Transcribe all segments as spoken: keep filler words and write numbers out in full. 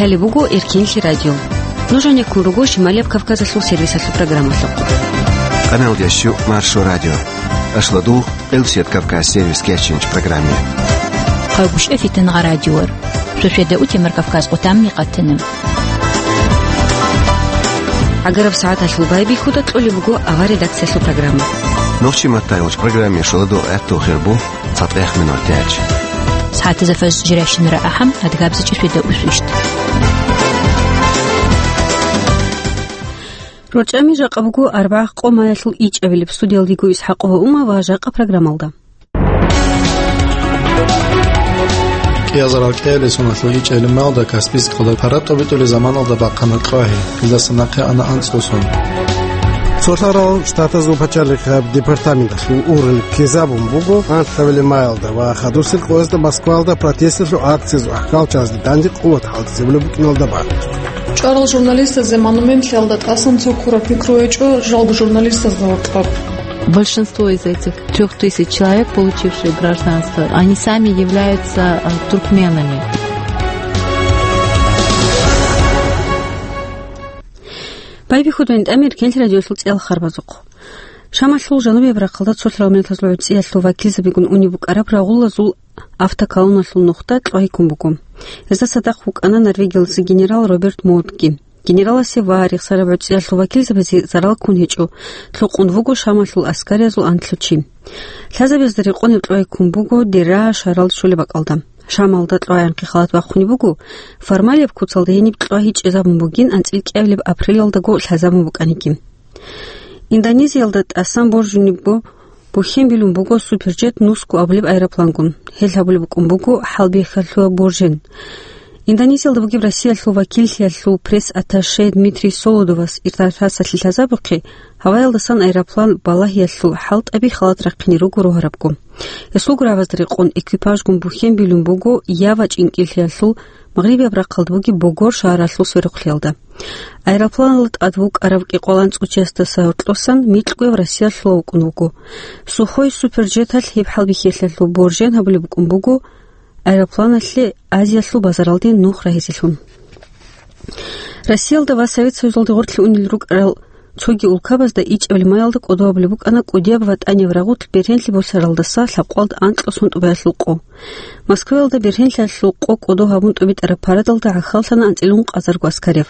Лъалеб буго Эркенлъи радио. Нуж гьанеккун руго Шималияб Кавказалъул сервисалъул программалъухъ. Къаналдящу Маршо радио. Ашладу Элсет Кавказ сервис кечинч программе. Хъагушев Фитнагъа радиор. Суседа утемар Кавказ къутамни къатана. Агараб сагӀаталъул байбихьуда кьолеб буго авар редакциялъул программа. Нохчи маттайгъуч программе шоладу гӀатту хирбу. ЦатӀех минут яч. СагӀатазда фаз жиращинара ахӀам, адгабзачи светда усвищт. РорчӀами жакъа буго арбагъ къо маялъул ичӀабилеб. Студиялдиго Исхакъова Ума ва жакъа программалда. КӀиазарал кӀиялесуналъул ичӀабилеб маялда Каспийскалда паратӀобитӀулеб заманалда бахъана кьвагьи, илдаса нахъе ана анцӀго сон. Цолъарал Штатазул пачалихъаб департаменталъул ургъел ккезабун буго анлъабилеб маялда ва хадусел къоязда Москваялда протесталъул акциязул ахӀкамалъазде данде къуват хӀалтӀизабулеб букӀиналда бан. ЧӀварал журналистазде монументлъиялда тӀасан цо ккураб пикру гьечӀо жалго журналистазда гьоркьоб. Большинство из этих трёх тысяч человек, получившие гражданство, они сами являются, э, туркменами. Байбихьудайин тӀамир кенлъи радиолъул цӀел харбазухъ. Шамалъул жанубияб рахъалда цолъарал миллатазул гӀуцӀиялъул вакилзабигун унеб букӀараб рагъулазул автоколонналъул нухда кьвагьиккун буго. Гьезда цадахъ вукӀана Норвегиялдаса генерал Роберт Модги. Генераласе ва рехсараб гӀуцӀиялъул вакилзабазе зарал ккун гьечӀо, лъукъун вуго Шамалъул аскариязул анлъго чи. Лъазабазда рекъонеб кьвагьиккун буго Дераа шагьаралда щолеб бакӀалда. Шамалда кьвагӀинхъе халат бахъунеб буго, формалияб куцалда гьениб кьвагьи чӀезабун бугин анцӀил кӀиабилеб апрелалдаго лъазабун букӀанигин. Индонезиялда тӀасан боржунеб бу-, бухьен билун буго Суперджет нусго абулеб аэроплангун. Гьел гьабулеб букӀун буго хӀалбихьалъув боржен. Индонезиялда бугеб Россиялъул вакиллъиялъул пресс-атташе Дмитрий Солодовас иртарасалъе лъазабухъе, гьаваялдасан аэроплан балагьиялъул хӀалтӀаби халат рахъине руго рогьарабго. Гьесул гурабазда рекъон экипажгун бухьен билун буго Ява чӀинкӀиллъиялъул магърибияб рахъалда бугеб Богор шагьаралъул сверухълъиялда. Аэропланалда тӀад вукӀарав кӀикъоялда анцӀго чиясдаса гьоркьосан микьгояв россиялъулав вукӀун вуго. Сухой Суперджеталъ гьеб хӀалбихьиялъул боржен гьабулеб букӀун буго аэропланалъе Азиялъул базаралде нух рагьизелъун. Россиялда ва Совет Союзалде гъорлъе унел рукӀарал цоги улкабазда ичӀабилеб маялда кӀодо гьабулеб букӀана кӀудияб ВатӀанияб рагъулъ бергьенлъи босаралдаса лъабкъоялда анкьго сон тӀубаялъул къо. Москваялда бергьенлъиялъул къо кӀодо гьабун тӀубитӀараб парадалда гӀахьаллъана анцӀила ункъазарго аскарияб.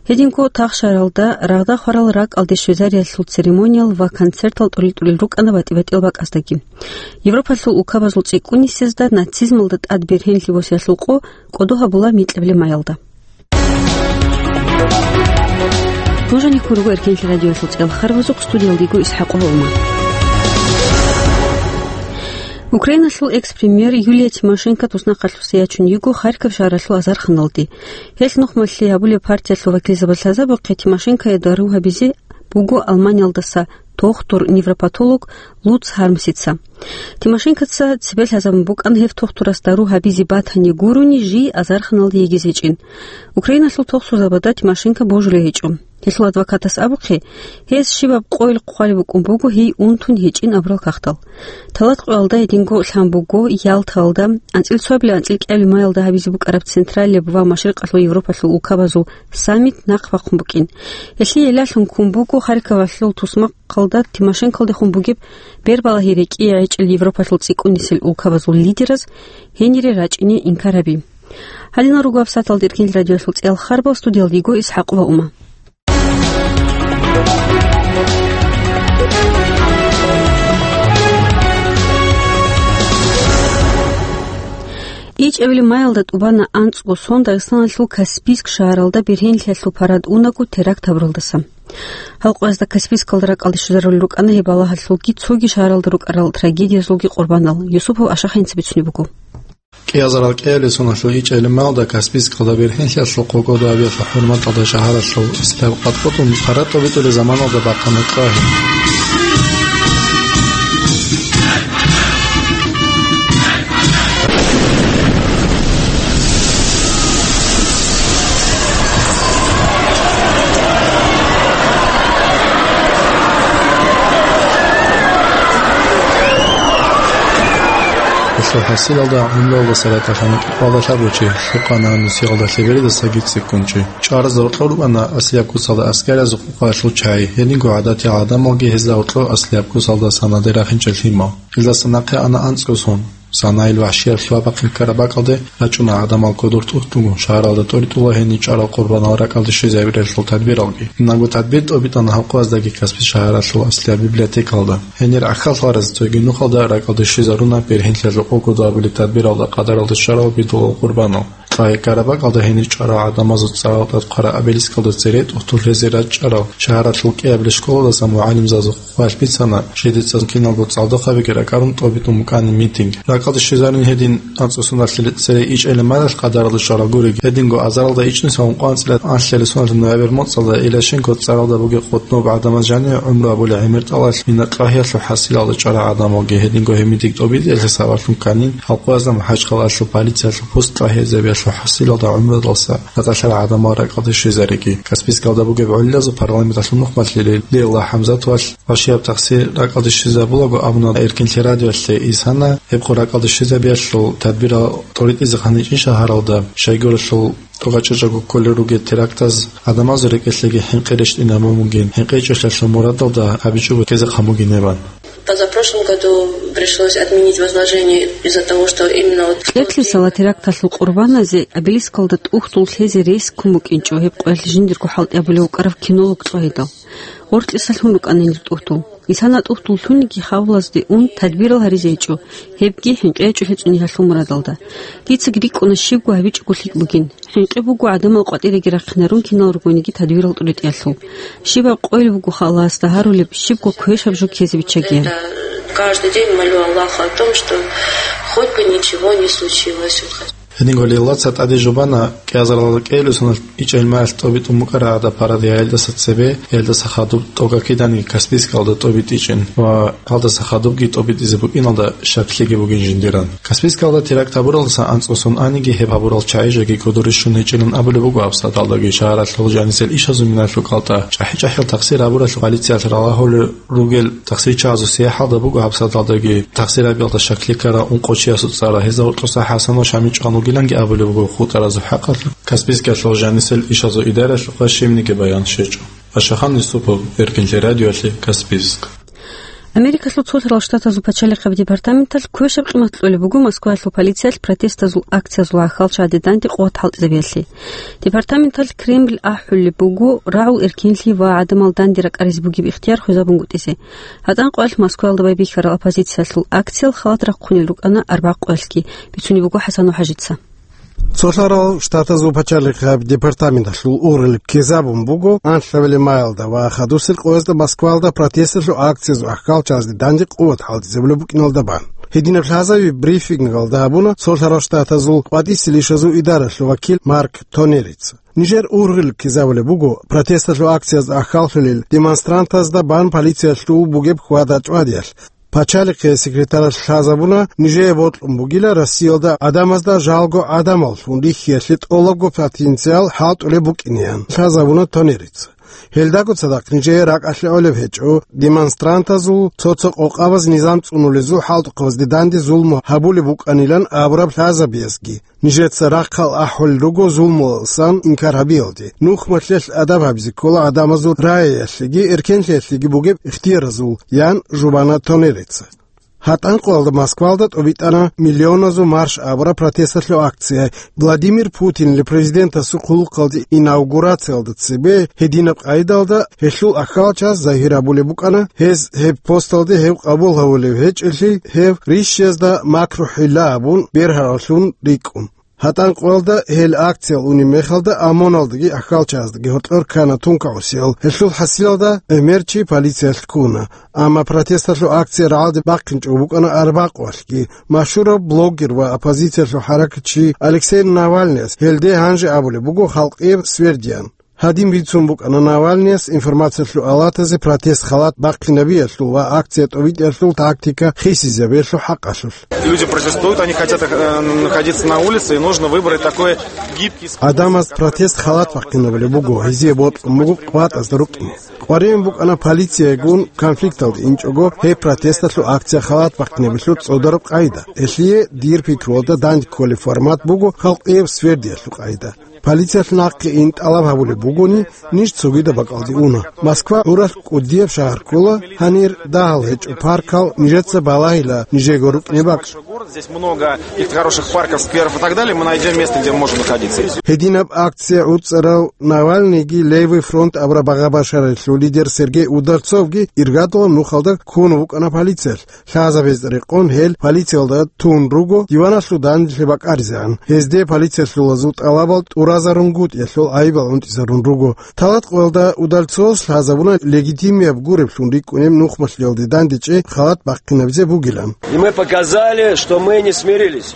Гьединго Тахшаралда рагъда хварал ракӀалде щвезариялъул церемониял ва концертал тӀурил-тӀурил рукӀана батӀи-батӀиял бакӀаздаги. Европалъул улкабазул цӀикӀкӀунисезда нацизмалда тӀад бергьенлъи босиялъул къо кӀодо гьабула микьабилеб маялда. Нуж гьанеккун руго Эркенлъи радиоялъул цӀел харбазухъ, студиялдиго Исхакъова Ума. Украиналъул экс-премьер Юлия Тимошенко туснахъалъуса ячун йиго Харьков шагьаралъул азарханалде. Гьелъ нухмалъи гьабулеб партиялъул вакилзабаз лъазабухъе Тимошенкое дару гьабизе буго Алманиялдаса тохтур-невропатолог Луц Хармсица. Тимошенкоца цебе лъазабун букӀана гьев тохтурас дару гьабизе батани гурони жий азарханалде йигизе гьечӀин. Украиналъул тохсурзабазда Тимошенко божулей гьечӀо. Гьелъул адвокатас абухъе, гьез щибаб къойил хъвалеб букӀун буго гьей унтун гьечӀин абурал кагътал. Талат къоялда гьединго лъан буго Ялтаялда, анцӀил цоабилеб-анцӀил кӀиабилеб маялда гьабизе букӀараб Централияб ва Машрикъалъул Европалъул улкабазул саммит нахъ бахъун букӀин. Гьелъие лъалъун ккун буго Харьковалъул тусмакъалда Тимошенколдехун бугеб бербалагьи рекӀее гӀечӀел Европалъул цӀикӀкӀунисел улкабазул лидераз гьенире рачӀине инкар гьаби. Гьадинал руго гьабсагӀаталда Эркенлъи радиоялъул цӀел харбал, студиялдиго Исхакъова Ума. ИчӀабилеб маялда тӀубана анцӀго сон Дагъистаналъул Каспийск шагьаралда бергьенлъиялъул парад унаго теракт гьабуралдаса. Гьал къоязда Каспийскалда ракӀалде щвезарулел рукӀана гьеб балагьалъулги цоги шагьаралда рукӀарал трагедиязулги къурбанал. Юсупов Ашахъ гьениб бицунеб буго. КӀиазарал кӀиялесуналъул ичӀабилеб маялда Каспийскалда бергьенлъиялъул къо кӀодо гьабиялъул хӀурматалда шагьаралъул истилъаб къадкъутун паратӀобитӀулеб заманалда бахъана кьвагьи. Гьелъул хӀасилалда гӀумруялдаса ратӀалъана кӀикъоялда лъабго чи, лъукъана нусиялда лъеберидасаги цӀикӀкӀун чи. ЧӀваразда гьоркьор рукӀана аслияб куцалда аскӀарязухъ къвалъул чагӀи, гьединго гӀадатиял гӀадамалги гьезда гьоркьор аслияб куцалда санаде рахинчӀел лъимал. Илдаса нахъе ана анцӀго сон. Санаил вагьшияб лъугьа-бахъин ккараб бакӀалде рачӀуна гӀадамал кодор тӀухьдулгун, шагьаралда тӀоритӀула гьенир чӀарал къурбанал ракӀалде щвезабиялъул тадбиралги. Киналго тадбир тӀобитӀана гьаб къояздаги Каспий шагьаралъул аслияб библиотекалда. Гьенир гӀахьаллъараз цоги нухалда ракӀалде щвезаруна бергьенлъиялъул къокъ кодо абулеб тадбиралда къадаралда щварал бидулал къурбанал. Лъугьа-бахъараб бакӀалда гьенир чӀварал гӀадамазул цӀарал тӀад хъвараб обелискалда цере тӀухьдул лъезе рачӀарал шагьаралъул кӀиабилеб школалдаса мугӀалимзабазухъ хъвалъ бицана, жидеца киналго цӀалдохъабиги ракӀарун тӀобитӀун букӀанин митинг. РакӀалде щвезарин гьедин анцӀго соналъе цере ичӀелеб маралъ къадаралда щварал гуриги, гьединго азаралда ичӀнусиялда ункъоялда анцӀила анлъабилеб соналъ ноябрь моцӀалда Илашенко цӀаралда бугеб къотӀноб гӀадамаз жаниве гӀумру гьабулеб гӀемер тӀалаб мина-, Лъугьа-бахъаралъул хӀасилалда чӀварал гӀадамалги, гьединго гьеб митинг тӀобитӀиялъе сабаблъун кканин, гьаб къоязда МахӀачхъалаялъул полициялъул пост Лъугьа-бахъараб хӀасилалда гӀумруялдаса ратӀалъарал гӀадамал ракӀалде щвезареги. Каспийскалда бугеб гӀолилазул парламенталъул нухмалъи Лейла ХӀамзатовалъ вагьшияб тахсир ракӀалде щвезабулаго абуна Эркинлъи радиоялъе. Исана гьеб къо ракӀалде щвезабиялъул тадбирал тӀоритӀизехъан гьечӀин шагьаралда, щайгурелъул тӀокӀаб чӀужуго кколел ругел терактаз гӀадамазул рекӀелъеги хӀинкъи рещтӀинабун бугин, хӀинкъи гьечӀолъиялъул мурадалда гьабичӀого ккезехъан бугин гьеб. Позапрошлом году пришлось отменить возложение из-за того, что именно вот в тот день... Кьеблъисала теракталъул къурбаназе обелискалда тӀухьдул лъезе рес ккун букӀинчӀо гьеб къоялъ жиндирго хӀалтӀи абулев вукӀарав кинолог Лъугьидал. Гъоркьисалъун рукӀана гьенир тӀухьдул. Исана тӀухьдул лъуниги хабалазде ун тадбирал гьаризе гьечӀо, гьебги хӀинкъи гьечӀолъи цӀуниял мурадалда. Дица рикӀкӀуна щибго гьабичӀого лъикӀ бугин. ХӀинкъи буго гӀадамал къватӀиреги рахъинарун кинал ругониги тадбирал тӀоритӀиялъул. Щибаб къойил буго Аллагьасда гьарулеб, щибго квешаб жо ккезе биччагиян. Каждый день молю Аллаха о том, что хоть бы ничего не случилось. Гьединго Лейлаца тӀаде жубана кӀиазаралда кӀиабилеб соналъ ичӀел маралъ тӀобитӀун букӀараб гӀадаб парад яялдаса цебе, яялдаса хадуб тӀогакиданиги Каспийскалда тӀобитӀичӀин ва гьалдаса хадубги тӀобитӀизе букӀиналда щаклъиги бугин жиндиран. Каспийскалда теракт гьабуралдаса анцӀго сон аниги гьеб гьабурал чагӀи жеги кодоре щун гьечӀилан абулеб буго гьабсагӀаталдаги. Шагьаралъул жанисел ишазул минаялъул кӀалтӀа чӀахӀи-чӀахӀиял тахсир гьабуралъул полициялъ ралагьулел ругел тахсирчагӀазул сверидалда буго гьабсагӀаталдаги тахсир гьабиялда щаклъи ккарал ункъо чиясул цӀар. Гьезда гьоркьоса ХӀасанов Шамил чӀван вугиланги абулеб буго хутӀаразул хӀакъалъулъ Каспийскалъул жанисел ишазул идаралъухъа щибниги баян щвечӀо. Пашаханов Юсупов, Эркинлъи радиоялъе, Каспийск. Америкалъул Цолъарал Штатазул пачалихъаб департаменталъ квешаб къимат кьолеб буго Москваялъул полициялъ протестазул акциязул гӀахьалчагӀазде данде къуват хӀалтӀизабиялъе. Департаменталъ Кремль ахӀулеб буго рагӀул эркинлъи ва гӀадамал данде ракӀаризе бугеб ихтияр хвезабунгутӀизе. ГьатӀан къоялъ Москваялда байбихьарал оппозициялъул акциял халат рахъунел рукӀана арбякъ къоялъги, бицунеб буго ХӀасанов ХӀажица. Цолъарал Штатазул пачалихъаб департаменталъул ургъел ккезабун буго анлъабилеб маялда ва хадусел къоязда Москваялда протесталъул акциязул гӀахьалчагӀазде данде къуват хӀалтӀизабулеб букӀиналда бан. Гьединаб лъазаби брифингалда гьабуна Цолъарал Штатазул къватӀисел ишазул идаралъул вакил Марк Тонерица. Нижер ургъел ккезабулеб буго протесталъул акциязда гӀахьаллъулел демонстрантазда бан полициялъул бугеб хьвада-чӀвадиялъ. Пачалихъе секретаралъ лъазабуна нижее бокьун бугила Россиялда гӀадамазда жалго гӀадамаллъун рихьиялъе тӀолабго потенциал хӀалтӀулеб букӀинеян, лъазабуна Тонерица. Гьелдаго цадахъ нижее ракӀалъе гӀолеб гьечӀо демонстрантазул цо-цо къокъабаз низам цӀунулезул хӀалтӀухъабазде данде зулму гьабулеб букӀанилан абураб лъазабиязги. Нижеца рахъал ахӀулел руго зулмуялдасан инкар гьабиялде. Нухмалъиялъ адаб гьабизе ккола гӀадамазул рагӀиялъеги эркенлъиялъеги бугеб ихтияразул, ян жубана Тонерица. ГьатӀан къоялда Москвалда тӀобитӀана миллионазул марш абураб протесталъул акция. Владимир Путинил президентасул хъулухъалде инаугурациялда цебе гьединаб къайдалда гьелъул ахьалчагӀаз загьир абулеб букӀана, гьез гьеб посталде гьев къабул гьавулев гьечӀелъи, гьев рищиязда макру-хӀилла абун бергьараллъун рикӀкӀун. ГьатӀан къоялда гьел акциял унеб мехалда ОМОНалдаги ахьалчагӀаздаги гьоркьор ккана тункагӀусиял. Гьелъул хӀасилалда гӀемерчи полициялъ ккуна. Амма протесталъул акция рагӀалде бахъинчӀого букӀана арбякъ къоялъги. Машгьурав блогер ва оппозициялъул хӀаракатчи Алексей Навальныяс гьелде гьанже абулеб буго халкъияб свердиян. Гьадин бицун букӀана Навальныяс информациялъул алатазе протест халат бахъинабиялъул ва акция тӀобитӀиялъул тактика хисизабиялъул хӀакъалъулъ. Люди протестуют, они хотят э, находиться на улице, и нужно выбрать такой гибкий способ. Гьадамаз протест халат бахъинабулеб буго, гьезие бокьун буго къватӀазда рукӀине. КъваригӀун букӀана полициягун конфликталде инчӀого гьеб протесталъул акция халат бахъинабилъул цӀодараб къайда. Гьелъие, дир пикруялда, данде кколеб формат буго халкъияб свердиялъул къайда. Полициялъ нахъе ин тӀалаб гьабулеб бугони, ниж цогидаб бакӀалде уна. Москва гӀуралъ кӀудияб шагьар ккола, гьанир дагьал гьечӀо паркал, нижеца балагьила нижего рукӀине бакӀ. Город, здесь много их хороших парков, скверов и так далее, мы найдём место, где мы можем находиться. Гьединаб акция гӀуцӀарав Навальныйги Левый фронт абураб багъа-башаралъул лидер Сергей Удальцовги иргадулаб нухалда ккун вукӀана полициялъ. Лъазабез рекъон гьел полициялда тун руго диваналъул данделъи бакӀаризегӀан. Гьезде полициялъулазул тӀалабал тӀуразарунгутӀиялъул гӀайибал гӀунтӀизарун руго. Талат къоялда Удальцовас лъазабуна легитимияб гуреблъун рикӀкӀунеб нухмалъиялде дандечӀей халат бахъинабизе бугилан. И мы показали, что мы не смирились.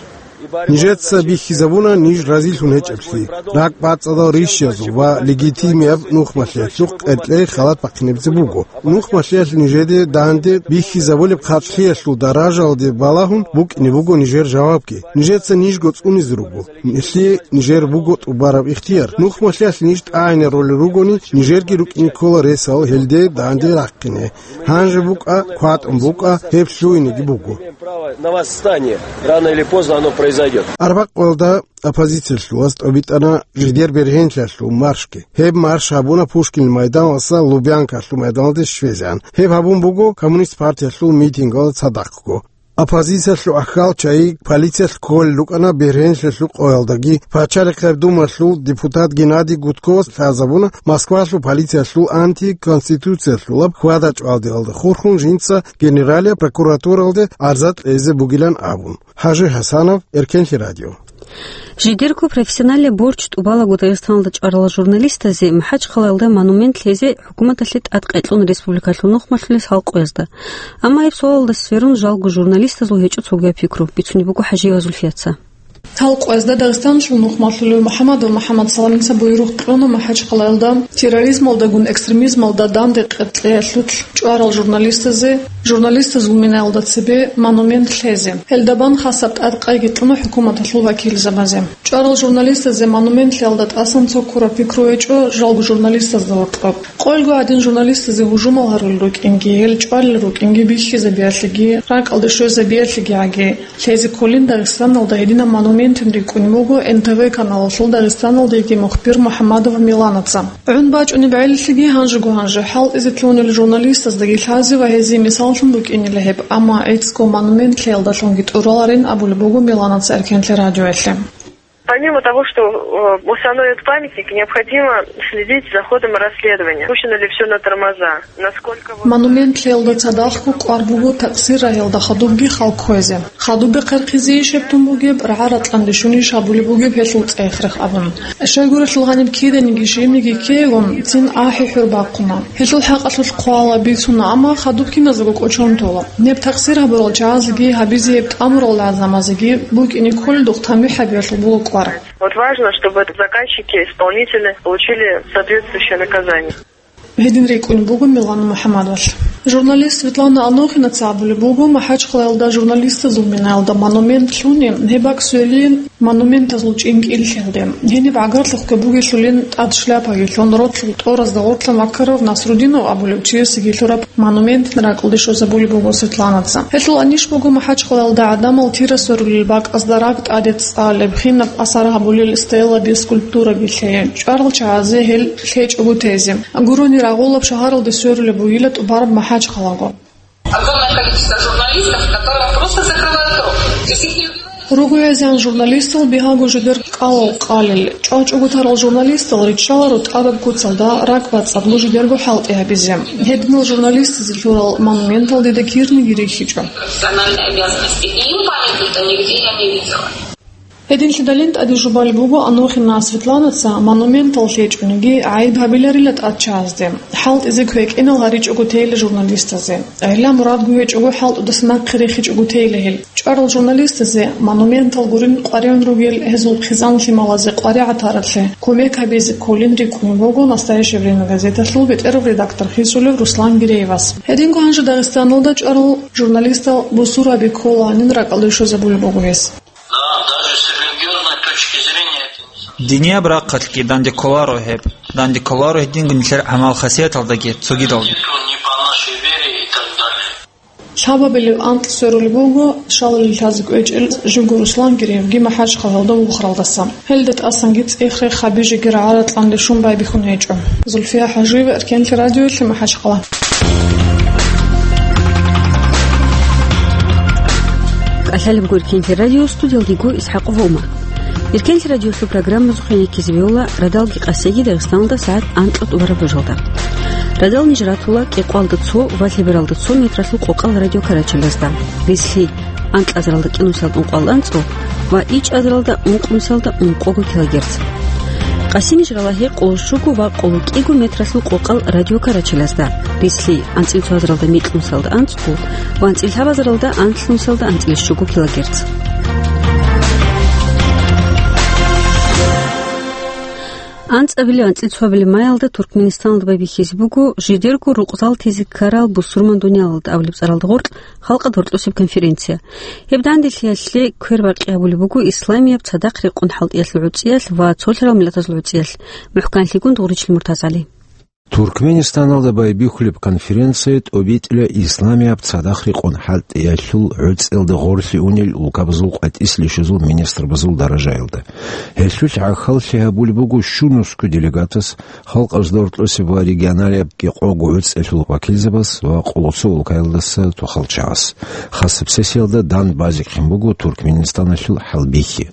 Нижеца бихьизабуна ниж разилъун гьечӀеблъи. РакӀбацӀцӀадал рищазул ва легитимияб нухмалъиялъухъ кьеркьей халат бахъинабизе буго. Нухмалъиялъ нижеде данде бихьизабулеб хъарчӀлъиялъул даражалде балагьун букӀине буго нижер жавабги. Нижеца нижго цӀунизе руго. Нилъее нижер буго тӀубараб ихтияр. Нухмалъиялъ ниж тӀагӀинарулел ругони, нижерги рукӀине ккола ресал гьелде данде рахъине. Гьанже букӀа, кватӀун букӀа, гьеб лъугьинеги буго. Право на восстание. Рано или поздно оно произойдёт. Арбакъ къоялда оппозициялъулаз тӀобитӀана жидер бергьенлъиялъул маршги. Гьеб марш гьабуна Пушкин майданалдаса Лубянкалъул майданалде щвезегӀан. Гьеб гьабун буго Коммунист партиялъул митингалда цадахъго. Оппозициялъул ахьал чагӀи полициялъ кколел рукӀана бергьенлъиялъул къоялдаги. Пачалихъ гьаб думалъул депутат Геннадий Гудковас лъазабуна Москвалъул полициялъул антиконституциялъулаб хьвада-чӀвалдиялда хурхун жинца Генералияб прокуратуралде гӀарза кьезе бугилан абун. ХӀажи ХӀасанов, Эркенлъи радио. Жидерго профессионалияб борч тӀубалаго Дагъистаналда чӀварал журналистазе МахӀачхъалаялда монумент лъезе хӀукуматалъе тӀадкъекьун республикалъул нухмалъулес гьалкъуязда. Амма гьеб суалалда сверун жалго журналистазул гьечӀо цогияб пикру, бицунеб буго ХӀажиева Зульфияца. Гьалкъуязда Дагъистаналъул нухмалъулев МухӀамадов МухӀамадсаламица буйрух кьуна МахӀачхъалаялда терроризмалдагун экстремизмалда данде кьеркьеялъулъ чӀварал журналистазе, журналистазул минаялда цебе монумент лъезе. Гьелда бан хасаб тӀадкъайги кьуна хӀукуматалъул вакилзабазе. ЧӀварал журналистазе монумент лъеялда тӀасан цо ккураб пикру гьечӀо жалго журналистазда гьоркьоб. Къойго гӀадин журналистазе гьужумал гьарулел рукӀинги, гьел чӀвалел рукӀинги бихьизабиялъеги, ракӀалде щвезабиялъеги гӀаги, лъезе кколин Дагъистаналда гьединаб монументин рикӀкӀунеб буго Н Т В каналалъул Дагъистаналдеги мухбир МухӀамадова Миланаца. ГӀун бачӀунеб гӀелалъеги гьанжего-гьанже хӀалтӀизе лъугьунел журналистаздаги лъазе ва гьезие мисаллъун букӀинила гьеб, амма гӀицӀго монумент лъеялдалъунги тӀураларин абулеб буго Миланаца Эркенлъи радиоялъе. Помимо того, что э, установят памятник, необходимо следить за ходом расследования. Пущено ли все на тормоза? Насколько вот... Монумент лъеялда цадахъго кӀвар буго такъсир рагьиялда хадубги хал кквезе. Хадуб бехъерхъизейищ гьеб тун бугеб, рагӀа-ратӀлъан рищунищ гьабулеб бугеб гьелъул цӀех-рех абун. Щайгурелъул гьаниб киданиги щибниги ккейилан цин ахӀи-хӀур бахъуна. Гьелъул хӀакъалъулъ хъвала, бицуна, амма хадуб киназего кӀочон тола. Неб такъсир гьабурал чагӀазеги гьабизе гьеб тӀамурал гӀадамазеги букӀине кколелдухъ тамихӀ гьабиялъул буго кӀвар. Вот важно, чтобы заказчики, исполнители получили соответствующее наказание. Гьедин рикӀкӀунеб буго Милана МухӀамадовалъ. Журналист Светлана Анохинаца абулеб буго, МахӀачхъалаялда журналистазул минаялда монумент лъуни, гьеб бакӀ сверилин монументазул чӀинкӀиллъиялде. Гьениб гӀагарлъухъги бугелъулин тӀад шляпаги лъун, ролъул тӀоразда гъорлъа Макаров Насрудинов абулев чиясеги лъураб монументин ракӀалде щвезабулеб буго Светланаца. Гьелъул анищ буго МахӀачхъалаялда гӀадамал тира сверулел бакӀазда ракӀ тӀаде цӀалеб, хинаб асар гьабулел стелаби, скульптураби лъей. ЧӀварал чагӀазе гьел лъечӀого тезе. Гурони рагъулаб шагьаралде сверулеб бугила тӀубараб МахӀачхъалаго. Огромное количество журналистов, которым просто закрывают рот. Здесь их не убивают. РугӀезегӀан журналистал бигьаго жидер кӀалал къалел. ЧӀвачӀого тарал журналистал риччаларо тӀадаб куцалда ракӀбацӀцӀадлъун жидерго хӀалтӀи гьабизе. Гьединал журналистазе лъурал монументал дида кирниги рихьичӀо. Профессиональные обязанности. И им памятника нигде я не видела. Гьединлъидалин тӀаде жубалеб буго Анохина Светланаца монументал лъечӀониги гӀайиб гьабиларила тӀад чагӀазде. ХӀалтӀизе квекӀинал гьаричӀого тейила журналистазе. ГӀелла мурадго гьечӀого хӀалтӀудаса нахъе рехичӀого тейила гьел. ЧӀварал журналистазе монументал гурин къваригӀун ругел гьезул хъизан-лъималазе къваригӀатараблъи кумек гьабизе кколин рикӀкӀунеб буго «Настоящее время» газеталъул бетӀерав редактор хисулев Руслан Гиреевас. Гьединго гьанже Дагъистаналда чӀварал журналистал бусурбаби кколаанин ракӀалде щвезабулеб буго гьес. Да, даже с религиозной точки зрения это не совсем. Динияб рахъалъги данде кколаро гьеб. Данде кколаро гьединго нилъер гӀамал-хасияталдаги цогидалги. Не по нашей вере и так далее. Лъабабилеб анкь сверулеб буго шалалъ лъазе кӀвечӀел живго Руслан Гиреевги МахӀачхъалалда вухаралдаса. Гьелда тӀасанги цӀех-рех гьаби жеги рагӀа-ракьанде щун байбихьун гьечӀо. Зульфия ХӀажиева, Эркенлъи радиоялъе, МахӀачхъала. КӀалъалеб гуркинлъи радио, студиялдего ИсхӀакъ Гъома. Эркенлъи радиолъул программазухъе ккезе бегьула радалги къасиги Дагъистаналда сагӀат анкьа тӀубараб божалда. Радал ниж ратула кӀикъоялда цо ва лъебералда цо метралъул къокъал радиокарачелазда. Рислъи, анкьазаралда кӀинусиялда ункъоялда анцӀго ва ичӀазаралда ункънусиялда ункъого килогерц. Къасиниж рала гьекъоло щуго ва къоло кӀиго метралъул къокъал радиокарачелазда. Рислъи, анцӀил цоазаралда микьнусиялда анцӀго ва анцӀил лъабазаралда анлънусиялда анцӀил щуго килогерц. АнцӀабилеб-анцӀил цоабилеб маялда Туркменистаналда байбихьизе буго жидерго рукъзал тезе ккарал бусурман дуниялалда абулеб цӀаралда гъоркь халкъалда гьоркьосеб конференция. Гьеб данделъиялъе квербакъи гьабулеб буго исламияб цадахъ рекъон хӀалтӀиялъул гӀуцӀиялъ ва цолъарал миллатазул гӀуцӀиялъ. МухӀканлъигун Дугъричил МуртазгӀали. Туркменистаналда байбихьулеб конференция тӀобитӀила исламияб цадахъ рекъон хӀалтӀиялъул гӀуцӀиялда гъорлъе унел улкабазул къватӀислъи щвезул министрбазул даражаялда. Гьелъулъ гӀахьаллъи гьабулеб буго щунусго делегатас, халкъазда гьоркьосеб ва регионалияб кӀикъого гӀуцӀиялъул вакилзабаз ва къоло цо улкаялдаса тухал чагӀаз. Хасаб сессиялда дандбазехъин буго Туркменистаналъул хӀалбихьи.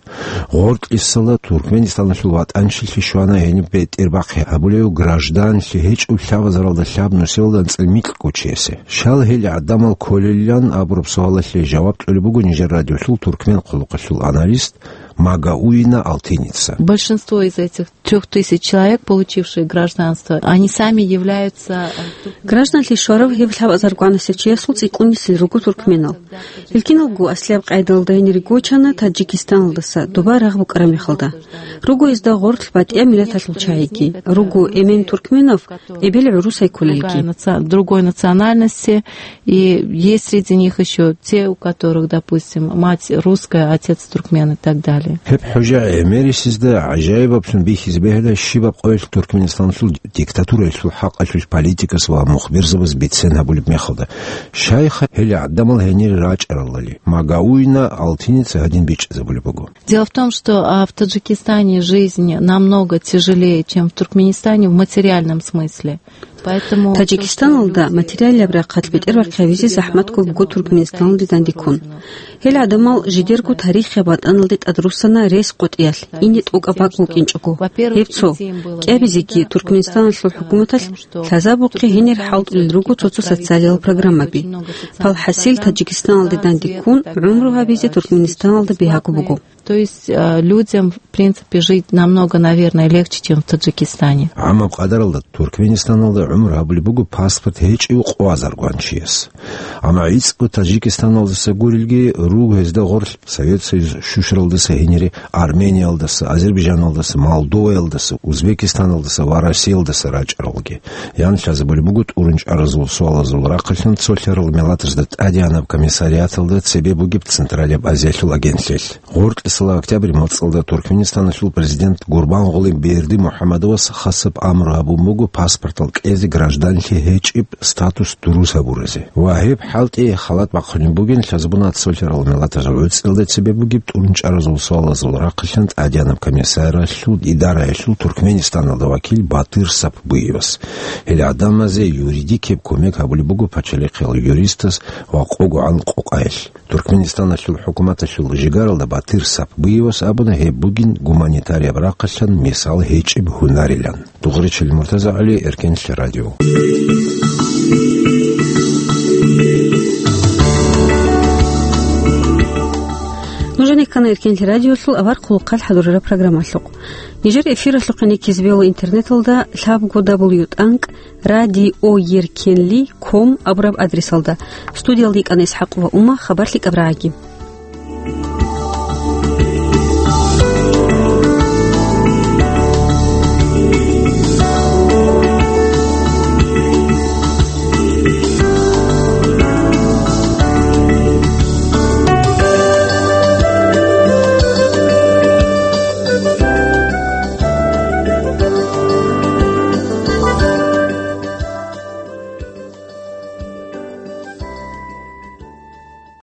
Гъоркьисала Туркменистаналъул ватӀанчилъи щвана гьениб бетӀербахъи гьабулев гражданлъи гьечӀев лъабазаралда лъабнусиялда анцӀил микьго чиясе. Щал гьел гӀадамал кколелилан абураб суалалъе жаваб кьолеб буго нижер радиолъул туркмен хъулухъалъул аналист Магауина Алтиница. Большинство из этих трёх тысяч человек, получившие гражданство, они сами являются, э, Гражданлъи щварав гьеб лъабазаргванасев чиясул цӀикӀкӀунисел руго туркменал. Гьел киналго аслияб къайдалда гьенире гочана Таджикистаналдаса, доба рагъ букӀараб мехалда. Руго гьезда гъорлъ батӀияб миллаталъул чагӀиги. Руго эмен туркменав, эбел гӀурусай кколелги. Другая наци-, другой национальности, и есть среди них ещё те, у которых, допустим, мать русская, отец туркмен и так далее. Гьеб хӀужа гӀемерисезда гӀажаибаблъун бихьизе бегьила щибаб къоялъ Туркменистаналъул диктатураялъул хӀакъалъулъ политикас ва мухбирзабаз бицен гьабулеб мехалда. Щайха гьел гӀадамал гьенире рачӀаралали, Магауина Алтиница гьадин бичӀчӀизабулеб буго. Дело в том, что, а, в Таджикистане жизнь намного тяжелее, чем в Туркменистане в материальном смысле. Поэтому Таджикистаналда материалияб рахъалъ бетӀербахъи гьабизе захӀматго буго Туркменистаналде дандеккун. Гьел гӀадамал жидерго тарихияб ватӀаналде тӀадруссана рес къотӀиялъ, ине тӀокӀаб бакӀ букӀинчӀого. Гьеб цо, кӀиабизеги Туркменистаналъул хӀукуматалъ лъазабухъе гьенир хӀалтӀулел руго цо-цо социалиял программаби. Палхасил Таджикистаналде дандеккун гӀумру гьабизе Туркменистаналда бигьаго буго. То есть, а, людям, в принципе, жить намного, наверное, легче, чем в Таджикистане. ГӀамаб къадаралда Туркменистаналда гӀумру гьабулеб буго паспорт гьечӀев къоазаргван чияс. Амма гӀицӀго Таджикистаналдаса гурелги, руго гьезда гъорлъ Совет Союз щущаралдаса гьенире Армениялдаса, Азербайджаналдаса, Молдоваялдаса, Узбекистаналдаса ва Россиялдаса рачӀаралги. Ян лъазабулеб буго тӀурун чӀаразул суалазул рахъалъан цолъарал миллатазда тӀадегӀанаб комиссариаталда цебе бугеб Централияб Азиялъул агентлъиялъ. Гъоркьисала октябрь мацӀалда Туркменистаналъул президент Гурбангъули Бердимухаммадовас хасаб амру гьабун буго паспортал кьезе гражданлъи гьечӀеб статус дурус гьабуразе. Ва гьеб хӀалтӀи халат бахъунеб бугин лъазабуна цолъарал миллатазул гӀуцӀиялда цебе бугеб тӀурун чӀаразул суалазул рахъалъан тӀадегӀанаб комиссариялъул идараялъул Туркменистаналда вакил Батыр Сапбуевас. Гьел гӀадамазе юридикияб кумек гьабулеб буго пачалихъиял юристас ва къогогӀан къокъаялъ. Туркменистаналъул хӀукуматалъул жигаралда Батыр Сапбуевас абуна гьеб бугин гуманитарияб рахъалъан мисал гьечӀеб гьунарилан. Дугъричил МуртазагӀали, Эркенлъи радио. Нужеда ккана Эркенлъи радиолъул авар хъулухъалъ хӀадурараб программалъухъ. Нижер эфиралъухъе ккезабеян интернеталда лъабго дабл ю тӀанкӀ радиоеркенли ком абураб адресалда. Студиялда йикӀана ИсхӀакъ ва Ума, хабар лъикӀаб рагӀаги.